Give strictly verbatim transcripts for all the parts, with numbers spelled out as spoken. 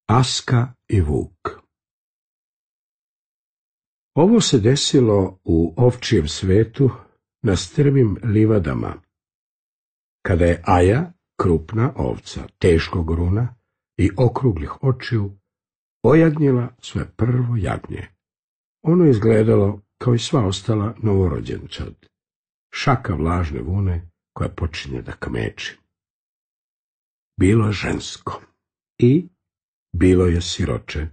Aska i Vuk. Ovo se desilo u ovčijem svetu na strmim livadama, kada je Aja, krupna ovca, teškog runa i okruglih očiju, ojagnjila svoje prvo jagnje. Ono je izgledalo kao i sva ostala novorođenčad, šaka vlažne vune koja počinje da kameči. Bilo je žensko i bilo je siroče,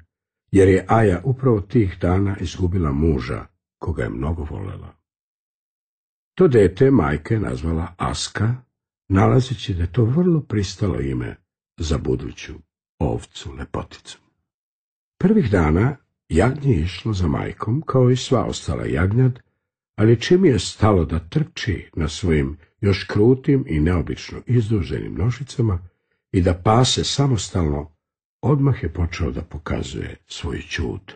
jer je Aja upravo tih dana izgubila muža, koga je mnogo volela. To dete majka je nazvala Aska, nalazeći da je to vrlo pristalo ime za buduću ovcu lepoticu. Prvih dana jagnje je išlo za majkom, kao i sva ostala jagnjad, ali čim je stalo da trči na svojim još krutim i neobično izduženim nožicama i da pase samostalno, odmah je počeo da pokazuje svoju ćud.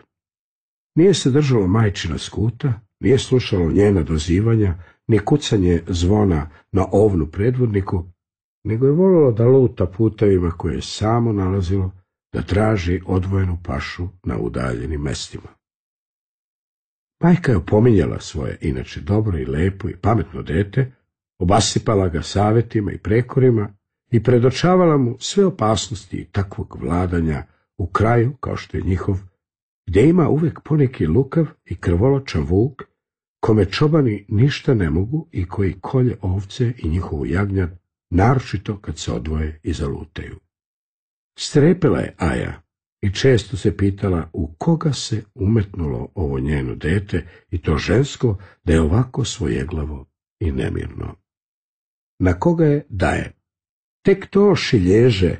Nije se držalo majčina skuta, nije slušalo njena dozivanja, ni kucanje zvona na ovnu predvodniku, nego je volilo da luta putevima koje je samo nalazilo, da traži odvojenu pašu na udaljenim mestima. Majka je opominjala svoje inače dobro i lepo i pametno dete, obasipala ga savetima i prekorima i predočavala mu sve opasnosti takvog vladanja u kraju kao što je njihov, gdje ima uvek poneki lukav i krvoločan vuk, kome čobani ništa ne mogu i koji kolje ovce i njihovu jagnjad, naročito kad se odvoje i zalutaju. Strepela je Aja i često se pitala u koga se umetnulo ovo njeno dete i to žensko da je ovako svojeglavo i nemirno. Na koga je daje? Tek to šilježe,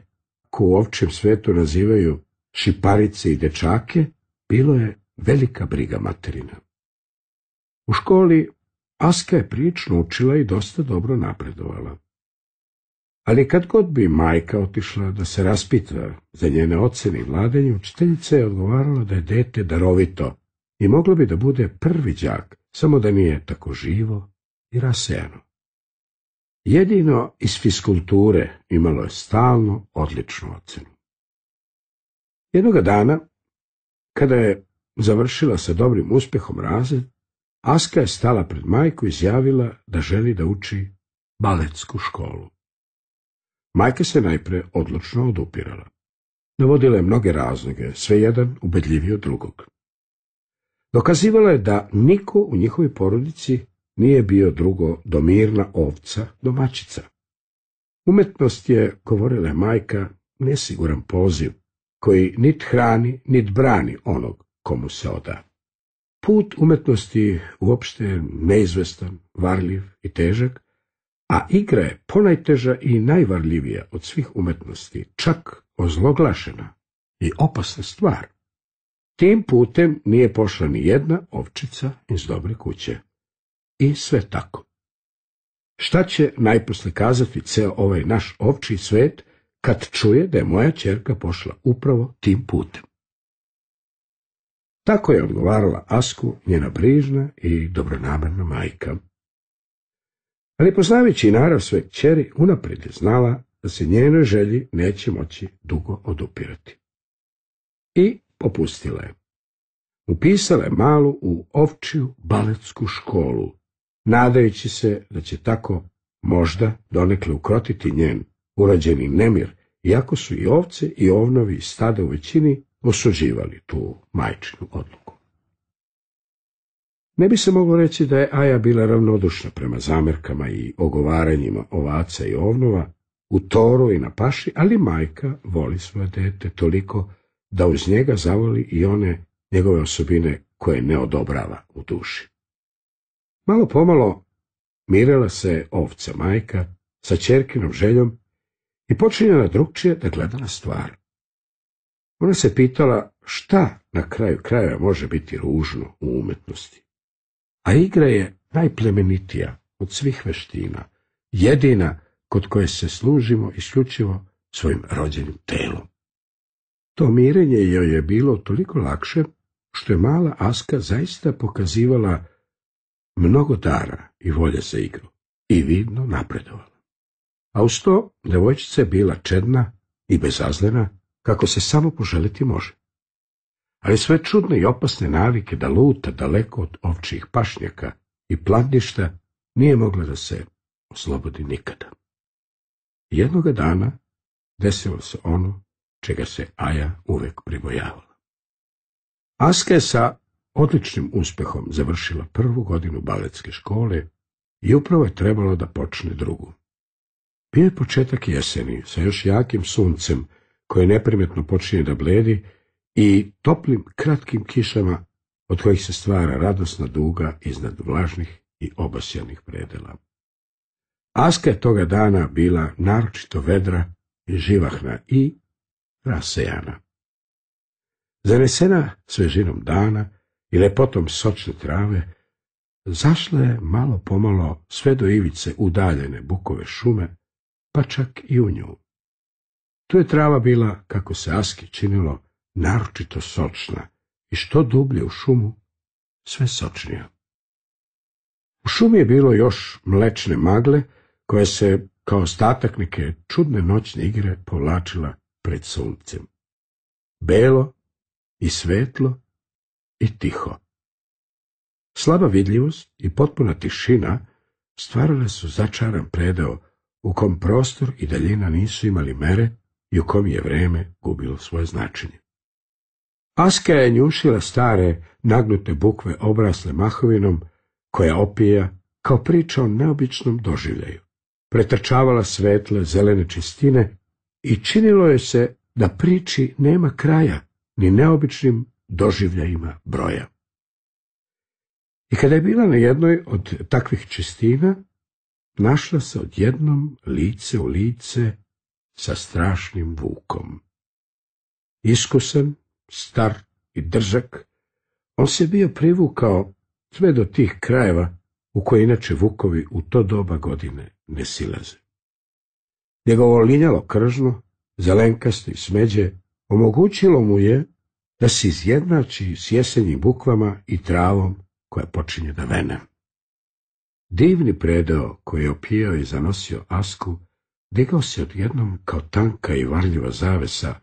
ko u ovčjem svetu nazivaju šiparice i dečake, bilo je velika briga materina. U školi Aska je prilično učila i dosta dobro napredovala. Ali kad god bi majka otišla da se raspita za njene ocene i vladanje, učiteljica je odgovarala da je dete darovito i moglo bi da bude prvi đak, samo da nije tako živo i rasejano. Jedino iz fiskulture imalo je stalno odličnu ocenu. Jednoga dana, kada je završila sa dobrim uspehom razred, Aska je stala pred majku i izjavila da želi da uči baletsku školu. Majka se najpre odlučno odupirala. Navodila je mnoge razloge, sve jedan ubedljiviji od drugog. Dokazivala je da niko u njihovoj porodici nije bio drugo do mirna ovca, domaćica. Umetnost je, govorila je majka, nesiguran poziv, koji nit hrani, nit brani onog komu se oda. Put umetnosti uopšte je neizvestan, varljiv i težak, a igra je ponajteža i najvarljivija od svih umetnosti, čak ozloglašena i opasna stvar. Tim putem nije pošla ni jedna ovčica iz dobre kuće. I sve tako. Šta će najposle kazati ceo ovaj naš ovčji svet kad čuje da je moja ćerka pošla upravo tim putem? Tako je odgovarala Asku njena brižna i dobronamerna majka. Ali poznavajući narav svoje kćeri, unaprijed je znala da se njenoj želji neće moći dugo odupirati. I popustila je. Upisala je malu u ovčiju baletsku školu, nadajući se da će tako možda donekle ukrotiti njen urađeni nemir, iako su i ovce i ovnovi iz stada u većini osuđivali tu majčinu odluku. Ne bi se moglo reći da je Aja bila ravnodušna prema zamerkama i ogovaranjima ovaca i ovnova, u toru i na paši, ali majka voli svoje dete toliko da uz njega zavoli i one njegove osobine koje ne odobrava u duši. Malo pomalo mirila se ovca majka sa ćerkinom željom i počinjala drugčije da gleda na stvar. Ona se pitala šta na kraju krajeva može biti ružno u umetnosti. A igra je najplemenitija od svih veština, jedina kod koje se služimo isključivo svojim rođenim telom. To mirenje joj je bilo toliko lakše što je mala Aska zaista pokazivala mnogo dara i volje za igru i vidno napredovala. A uz to devojčica je bila čedna i bezazlena, kako se samo poželiti može. Ali sve čudne i opasne navike da luta daleko od ovčjih pašnjaka i planišta nije mogla da se oslobodi nikada. Jednoga dana desilo se ono čega se Aja uvek pribojavala. Aska je sa odličnim uspehom završila prvu godinu baletske škole i upravo je trebalo da počne drugu. Bio je početak jeseni sa još jakim suncem koje neprimetno počinje da bledi i toplim kratkim kišama od kojih se stvara radosna duga iznad vlažnih i obasjanih predela. Aska je toga dana bila naročito vedra i živahna i rasejana. Zanesena svežinom dana i lepotom sočne trave, zašla je malo pomalo sve do ivice udaljene bukove šume, pa čak i u nju. Tu je trava bila, kako se Aski činilo, naročito sočna i što dublje u šumu, sve sočnija. U šumi je bilo još mlečne magle, koja se, kao ostatak neke čudne noćne igre, povlačila pred suncem. Belo i svetlo i tiho. Slaba vidljivost i potpuna tišina stvarale su začaran predeo u kom prostor i daljina nisu imali mere i u kom je vreme gubilo svoje značenje. Aska je njušila stare, nagnute bukve obrasle mahovinom, koja opija kao priča o neobičnom doživljaju. Pretrčavala svetle, zelene čistine i činilo je se da priči nema kraja, ni neobičnim doživljajima broja. I kada je bila na jednoj od takvih čistina, našla se odjednom lice u lice sa strašnim vukom. Iskusan, star i drzak, on se bio privukao sve do tih krajeva u koje inače vukovi u to doba godine ne silaze. Njegovo linjalo kržno, zelenkasto i smeđe, omogućilo mu je da se izjednači s jesenjim bukvama i travom koja počinje da vene. Divni predeo koji je opijao i zanosio Asku digao se odjednom kao tanka i varljiva zavesa,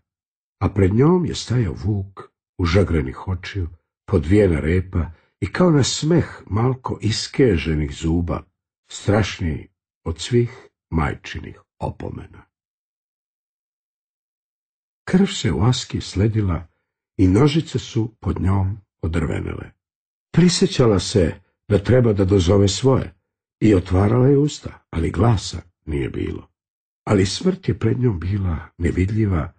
a pred njom je stajao vuk užagrenih očiju, podvijena repa i kao na smeh malko iskeženih zuba, strašniji od svih majčinih opomena. Krv se u Aski sledila i nožice su pod njom odrvenele. Prisjećala se da treba da dozove svoje i otvarala je usta, ali glasa nije bilo. Ali smrt je pred njom bila nevidljiva,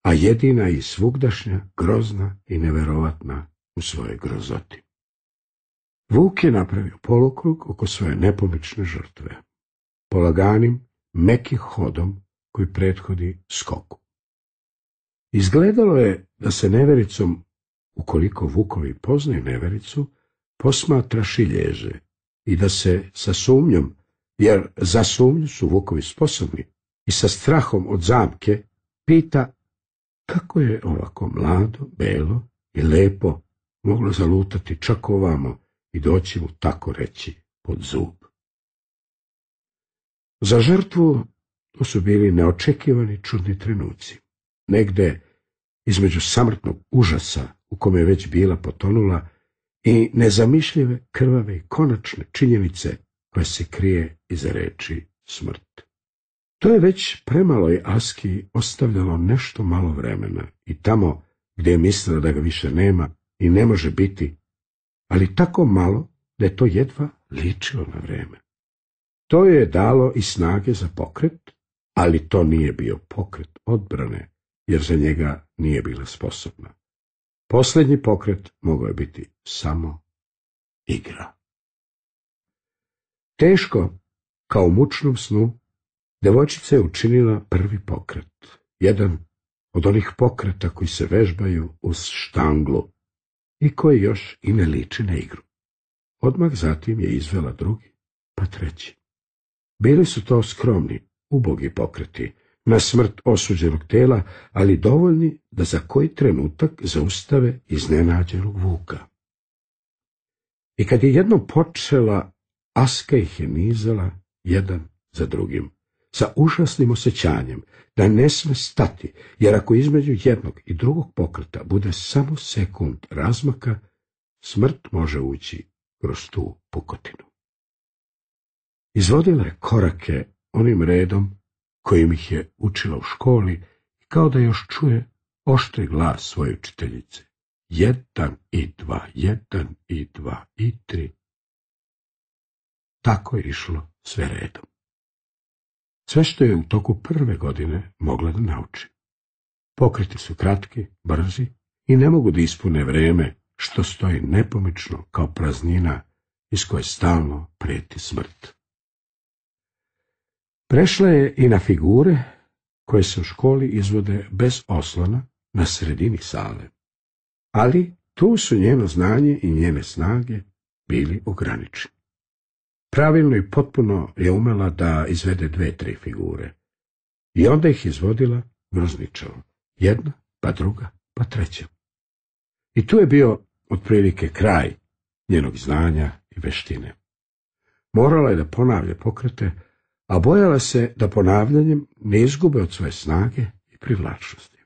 a jedina i svugdašnja, grozna i neverovatna u svojoj grozoti. Vuk je napravio polukrug oko svoje nepomične žrtve, polaganim, mekim hodom koji prethodi skoku. Izgledalo je da se nevericom, ukoliko vukovi poznaju nevericu, posmatra šilježe i da se sa sumnjom, jer za sumnju su vukovi sposobni, i sa strahom od zamke pita kako je ovako mlado, belo i lepo moglo zalutati čak ovamo i doći mu tako reći pod zub. Za žrtvu to su bili neočekivani čudni trenuci. Negde između samrtnog užasa u kome je već bila potonula i nezamišljive, krvave i konačne činjenice koja se krije iza reči smrt. To je već premaloj Aski ostavljalo nešto malo vremena i tamo gdje je mislila da ga više nema i ne može biti, ali tako malo da je to jedva ličilo na vreme. To je dalo i snage za pokret, ali to nije bio pokret odbrane, jer za njega nije bila sposobna. Posljednji pokret mogao je biti samo igra. Teško, kao u mučnom snu, devojčica je učinila prvi pokret, jedan od onih pokreta koji se vežbaju uz štanglu i koji još i ne liči na igru. Odmah zatim je izvela drugi, pa treći. Bili su to skromni, ubogi pokreti, na smrt osuđenog tela, ali dovoljni da za koji trenutak zaustave iznenađenog vuka. I kad je jednom počela, Aska ih je nizala jedan za drugim, sa užasnim osjećanjem da ne sme stati, jer ako između jednog i drugog pokreta bude samo sekund razmaka, smrt može ući kroz tu pukotinu. Izvodila je korake onim redom kojim ih je učila u školi i kao da još čuje oštri glas svoje učiteljice. Jedan i dva, jedan i dva i tri. Tako je išlo sve redom. Sve što je u toku prve godine mogla da nauči. Pokreti su kratki, brzi i ne mogu da ispune vreme što stoji nepomično kao praznina iz koje stalno prijeti smrt. Prešla je i na figure koje se u školi izvode bez oslona na sredini sale, ali tu su njeno znanje i njene snage bili ograničeni. Pravilno i potpuno je umela da izvede dve, tri figure i onda ih izvodila grozničavo, jedna, pa druga, pa treća. I tu je bio otprilike kraj njenog znanja i veštine. Morala je da ponavlja pokrete, a bojala se da ponavljanjem ne izgube od svoje snage i privlačnosti.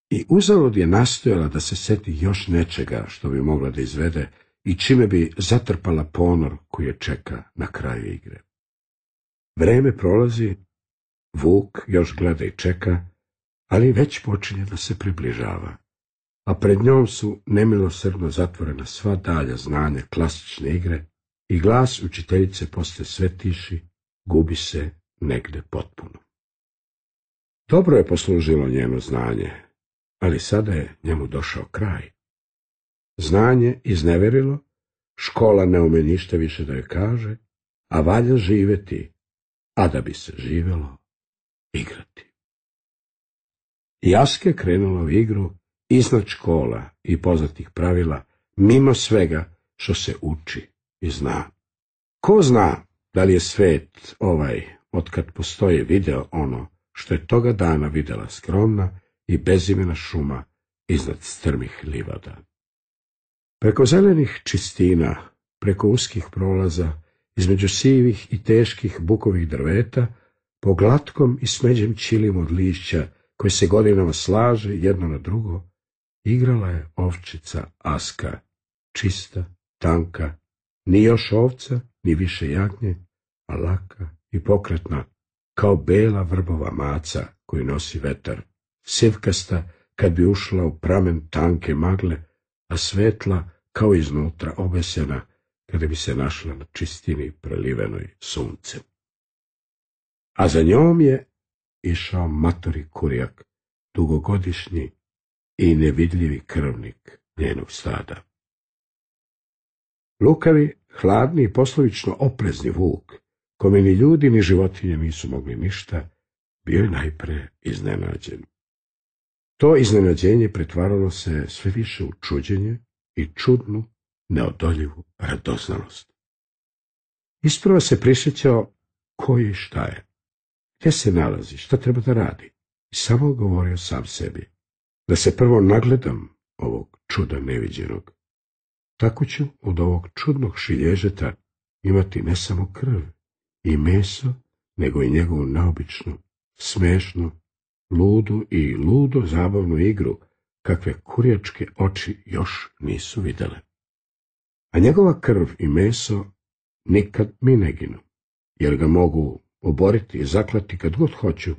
I uzalud je nastojala da se seti još nečega što bi mogla da izvede i čime bi zatrpala ponor koji je čeka na kraju igre. Vreme prolazi, Vuk još gleda i čeka, ali već počinje da se približava, a pred njom su nemilosrdno zatvorena sva dalja znanja klasične igre i glas učiteljice postaje sve tiši, gubi se negde potpuno. Dobro je poslužilo njeno znanje, ali sada je njemu došao kraj. Znanje izneverilo, škola ne ume ništa više da joj kaže, a valja živeti, a da bi se živelo, igrati. I Aska je krenula u igru iznad škola i poznatih pravila, mimo svega što se uči i zna. Ko zna da li je svet ovaj, otkad postoji, video ono što je toga dana videla skromna i bezimena šuma iznad strmih livada. Preko zelenih čistina, preko uskih prolaza, između sivih i teških bukovih drveta, po glatkom i smeđem ćilimu od lišća, koje se godinama slaže jedno na drugo, igrala je ovčica Aska, čista, tanka, ni još ovca, ni više jagnje, a laka i pokretna, kao bela vrbova maca koju nosi vetar, sivkasta kad bi ušla u pramen tanke magle, a svetla kao iznutra obesena kada bi se našla na čistini prelivenoj suncem. A za njom je išao matori kurjak, dugogodišnji i nevidljivi krvnik njenog stada. Lukavi, hladni i poslovično oprezni Vuk, kome ni ljudi ni životinje nisu mogli ništa, bio je najpre iznenađen. To iznenađenje pretvaralo se sve više u čuđenje i čudnu, neodoljivu radoznalost. Isprva se prisjećao ko je i šta je, gdje se nalazi, šta treba da radi, i samo govorio sam sebi, da se prvo nagledam ovog čuda neviđenog. Tako ću od ovog čudnog šilježeta imati ne samo krv i meso, nego i njegovu neobičnu, smešnu, ludu i ludo zabavnu igru, kakve kurjačke oči još nisu videle. A njegova krv i meso nikad mi ne ginu, jer ga mogu oboriti i zaklati kad god hoću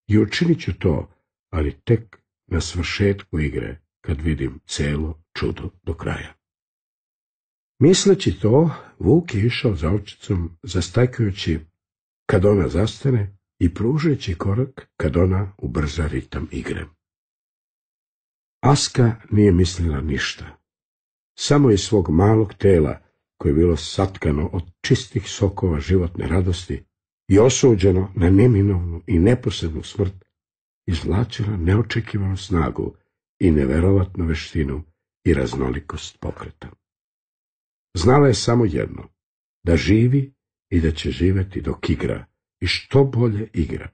i učinit ću to, ali tek na svršetku igre, kad vidim celo čudo do kraja. Misleći to, Vuk je išao za ovčicom, zastajkajući kad ona zastane i pružajući korak kad ona ubrza ritam igre. Aska nije mislila ništa. Samo iz svog malog tela, koje je bilo satkano od čistih sokova životne radosti i osuđeno na neminovnu i neposrednu smrt, izvlačila neočekivanu snagu i neverovatnu veštinu i raznolikost pokreta. Znala je samo jedno, da živi i da će živjeti dok igra i što bolje igra.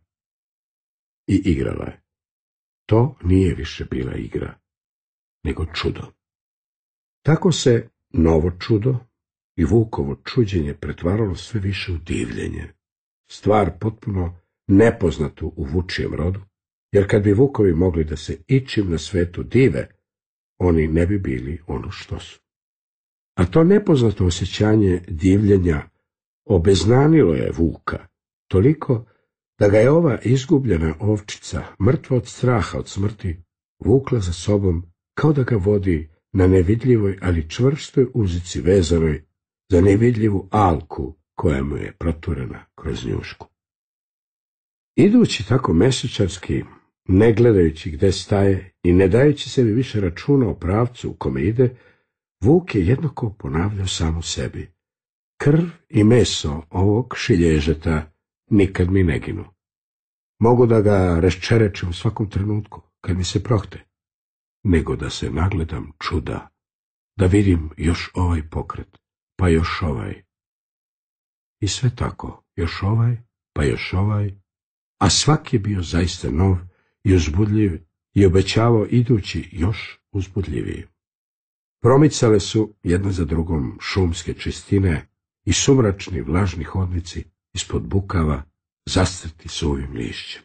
I igrala je. To nije više bila igra, nego čudo. Tako se novo čudo i Vukovo čuđenje pretvaralo sve više u divljenje, stvar potpuno nepoznatu u vučijem rodu, jer kad bi vukovi mogli da se ičim na svetu dive, oni ne bi bili ono što su. A to nepoznato osjećanje divljenja obeznanilo je vuka, toliko da ga je ova izgubljena ovčica, mrtva od straha od smrti, vukla za sobom kao da ga vodi na nevidljivoj, ali čvrstoj uzici vezanoj za nevidljivu alku koja mu je proturena kroz njušku. Idući tako mesečarski, ne gledajući gde staje i ne dajući sebi više računa o pravcu u kome ide, vuk je jednako ponavljao samu sebi: krv i meso ovog šilježeta nikad mi ne ginu. Mogu da ga raščerečim u svakom trenutku, kad mi se prohte, nego da se nagledam čuda, da vidim još ovaj pokret, pa još ovaj. I sve tako, još ovaj, pa još ovaj, a svaki je bio zaista nov i uzbudljiv i obećavao idući još uzbudljiviji. Promicale su jedna za drugom šumske čistine i sumračni vlažni hodnici ispod bukava zastrti suvim lišćem.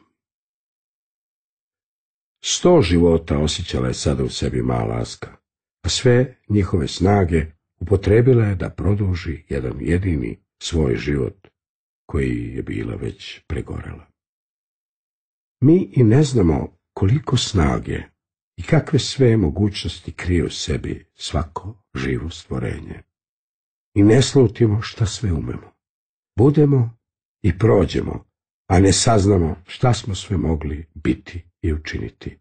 Sto života osjećala je sada u sebi mala Aska, a sve njihove snage upotrebila je da produži jedan jedini svoj život, koji je bila već pregorela. Mi i ne znamo koliko snage i kakve sve mogućnosti krije u sebi svako živo stvorenje. I ne slutimo šta sve umemo. Budemo i prođemo, a ne saznamo šta smo sve mogli biti i učiniti.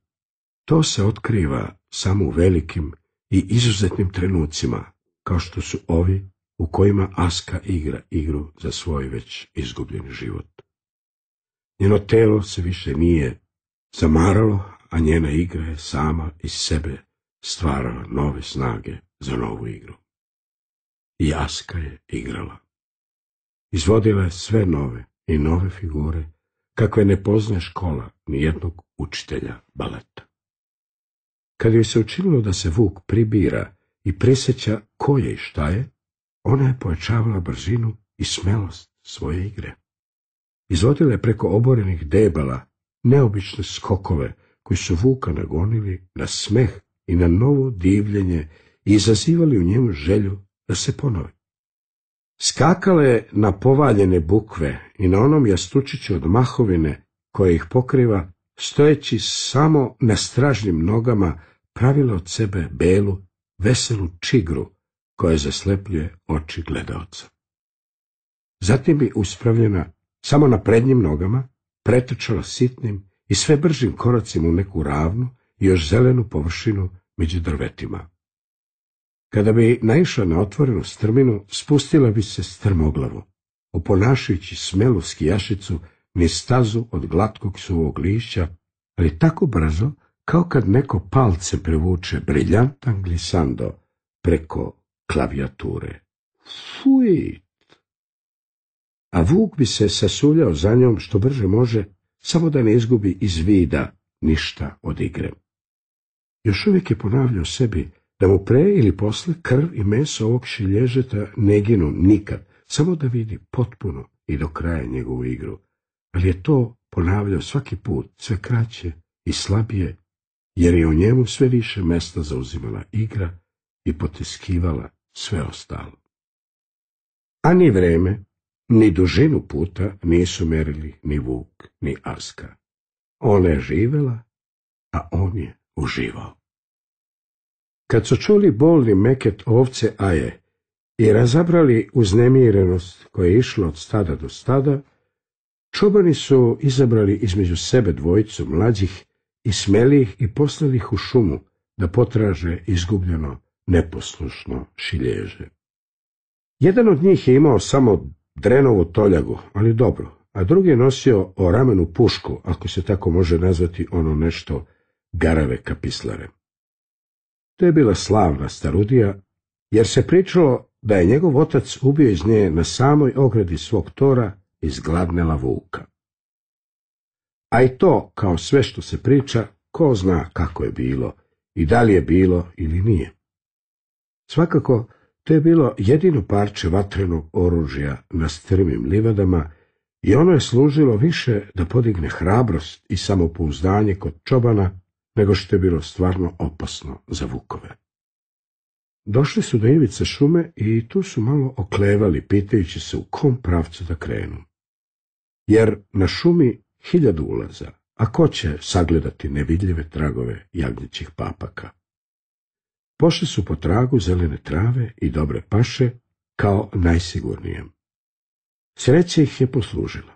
To se otkriva samo u velikim i izuzetnim trenucima, kao što su ovi u kojima Aska igra igru za svoj već izgubljeni život. Njeno telo se više nije zamaralo, a njena igra je sama iz sebe stvarala nove snage za novu igru. I Aska je igrala. Izvodila je sve nove i nove figure, kakve ne poznaje škola ni jednog učitelja baleta. Kad joj se učinilo da se vuk pribira i prisjeća ko je i šta je, ona je pojačavala brzinu i smelost svoje igre. Izvodila je preko oborenih debala neobične skokove koji su vuka nagonili na smeh i na novo divljenje i izazivali u njemu želju da se ponove. Skakala je na povaljene bukve i na onom jastučiću od mahovine koja ih pokriva, stojeći samo na stražnim nogama, pravila od sebe belu, veselu čigru koja zaslepljuje oči gledaoca. Zatim bi uspravljena samo na prednjim nogama pretrčala sitnim i sve bržim koracima u neku ravnu i još zelenu površinu među drvetima. Kada bi naišla na otvorenu strminu, spustila bi se strmoglavo, oponašajući smelu skijašicu niz stazu od glatkog suvog lišća, ali tako brzo kao kad neko palce prevuče briljantan glisando preko klavijature. Fuit! A vuk bi se sasuljao za njom što brže može, samo da ne izgubi iz vida ništa od igre. Još uvijek je ponavljao sebi da mu pre ili posle krv i meso ovog šilježeta ne ginu nikad, samo da vidi potpuno i do kraja njegovu igru, ali je to ponavljao svaki put sve kraće i slabije, jer je u njemu sve više mesta zauzimala igra i potiskivala sve ostalo. A ni vreme, ni dužinu puta nisu merili ni vuk, ni Aska. Ona je živela, a on je uživao. Kad su čuli bolni meket ovce Aje i razabrali uznemirenost koja je išla od stada do stada, čobani su izabrali između sebe dvojicu mlađih i smelijih i poslali ih u šumu da potraže izgubljeno neposlušno šilježe. Jedan od njih je imao samo drenovu toljagu, ali dobro, a drugi je nosio o ramenu pušku, ako se tako može nazvati ono nešto garave kapislare. To je bila slavna starudija, jer se pričalo da je njegov otac ubio iz nje na samoj ogradi svog tora izgladnela vuka. A i to, kao sve što se priča, ko zna kako je bilo i da li je bilo ili nije. Svakako, to je bilo jedino parče vatrenog oružja na strmim livadama I ono je služilo više da podigne hrabrost i samopouzdanje kod čobana, nego što je bilo stvarno opasno za vukove. Došli su do ivice šume i tu su malo oklevali, pitajući se u kom pravcu da krenu. Jer na šumi hiljadu ulaza, a ko će sagledati nevidljive tragove jagnjećih papaka? Pošli su po tragu zelene trave i dobre paše kao najsigurnijem. Sreća ih je poslužila.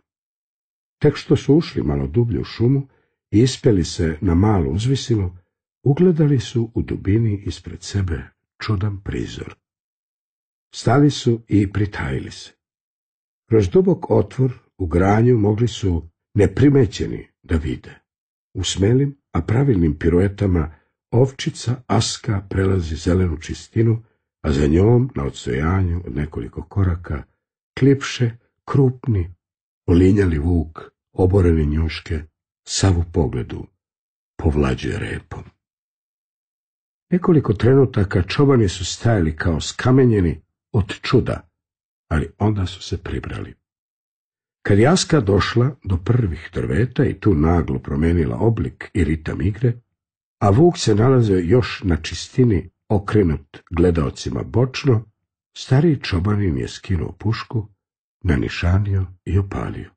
Tek što su ušli malo dublje u šumu i ispeli se na malu uzvisinu, ugledali su u dubini ispred sebe čudan prizor. Stali su i pritajili se. Kroz dubok otvor u granju mogli su neprimećeni da vide. U smelim, a pravilnim piruetama ovčica Aska prelazi zelenu čistinu, a za njom, na odstojanju od nekoliko koraka, klipše, krupni, olinjali vuk, oborene njuške, sav u pogledu povlađuje repom. Nekoliko trenutaka čobani su stajali kao skamenjeni od čuda, ali onda su se pribrali. Kad je Aska došla do prvih drveta i tu naglo promenila oblik i ritam igre, a vuk se nalazio još na čistini okrenut gledaocima bočno, stariji čobanin je skinuo pušku, nanišanio i opalio.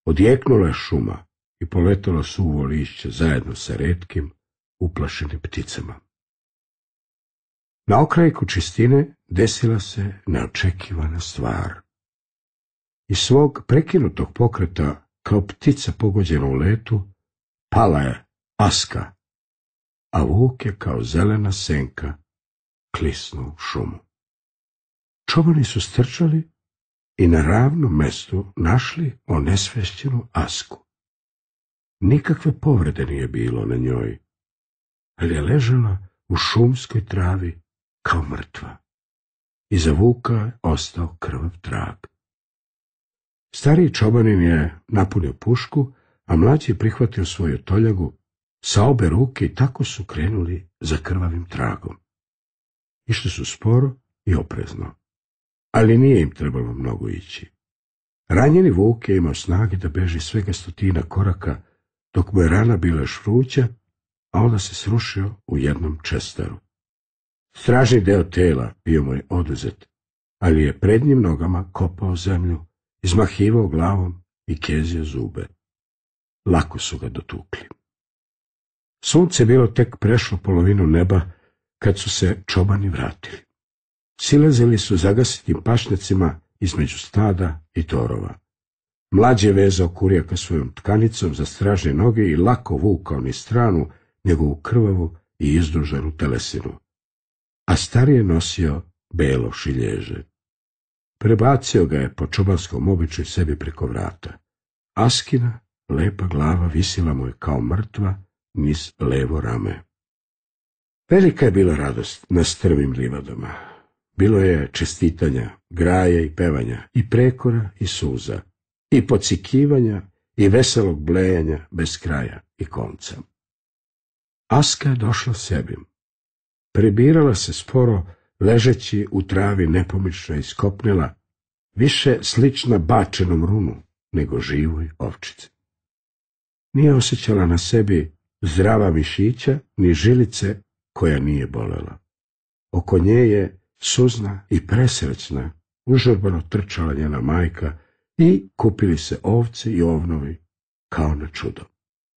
Odjeknula je šuma i poletalo suvo lišće zajedno sa retkim, uplašenim pticama. Na okrajku čistine desila se neočekivana stvar. Iz svog prekinutog pokreta, kao ptica pogođena u letu, pala je Aska, a vuk je kao zelena senka klisnuo u šumu. Čobani su strčali i na ravnom mestu našli onesvešćenu Asku. Nikakve povrede nije bilo na njoj, ali je ležala u šumskoj travi kao mrtva. Iza vuka je ostao krvav trag. Stariji čobanin je napunio pušku, a mlađi je prihvatio svoju toljagu sa obe ruke i tako su krenuli za krvavim tragom. Išli su sporo i oprezno, ali nije im trebalo mnogo ići. Ranjeni vuk je imao snage da beži svega stotina koraka, dok mu je rana bila još vruća, a onda se srušio u jednom čestaru. Stražni deo tela bio mu je oduzet, ali je prednjim nogama kopao zemlju, izmahivao glavom i kezio zube. Lako su ga dotukli. Sunce je bilo tek prešlo polovinu neba kad su se čobani vratili. Silazili su zagasitim pašnjacima između stada i torova. Mlađi je vezao kurijaka svojom tkanicom za stražne noge i lako vukao niz stranu njegovu krvavu i izduženu telesinu, a stariji je nosio belo šilježe. Prebacio ga je po čobanskom običaju sebi preko vrata. Askina lepa glava visila mu je kao mrtva niz levo rame. Velika je bila radost na strmim livadama. Bilo je čestitanja, graja i pevanja, i prekora i suza, i pocikivanja i veselog blejanja bez kraja i konca. Aska je došla sebi. Prebirala se sporo, ležeći u travi nepomično iskopnila, više slična bačenom runu nego živoj ovčici. Nije osjećala na sebi zdrava mišića ni žilice koja nije bolela. Oko nje je suzna i presrećna užurbano trčala njena majka i kupili se ovce i ovnovi kao na čudo.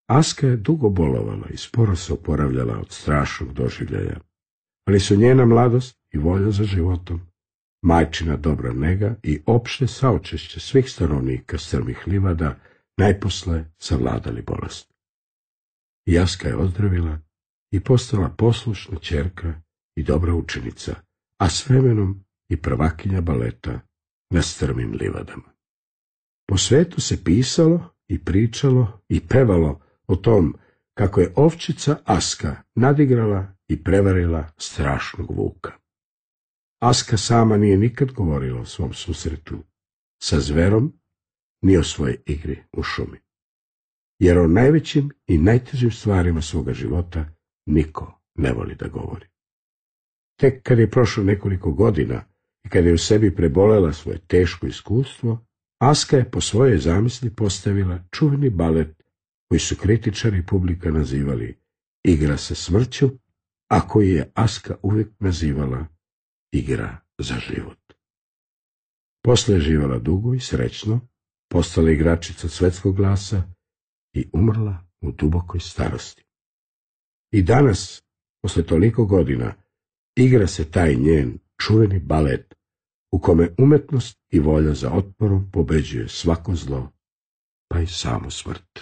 Aska je dugo bolovala i sporo se oporavljala od strašnog doživljaja, ali su njena mladost i volja za životom, majčina dobra nega i opšte saučešće svih stanovnika strmih livada najposle savladali bolest. I Aska je ozdravila i postala poslušna ćerka i dobra učenica, a s vremenom i prvakinja baleta na strmim livadama. Po svetu se pisalo i pričalo i pevalo o tom kako je ovčica Aska nadigrala i prevarila strašnog vuka. Aska sama nije nikad govorila o svom susretu sa zverom ni o svojoj igri u šumi, jer o najvećim i najtežim stvarima svoga života niko ne voli da govori. Tek kad je prošlo nekoliko godina i kad je u sebi prebolela svoje teško iskustvo, Aska je po svojoj zamisli postavila čuveni balet koji su kritičari i publika nazivali Igra sa smrću, a koji je Aska uvijek nazivala Igra za život. Posle je živjela dugo i srećno, postala igračica svetskog glasa i umrla u dubokoj starosti. I danas, posle toliko godina, igra se taj njen čuveni balet u kome umetnost i volja za otporom pobeđuje svako zlo, pa i samu smrt.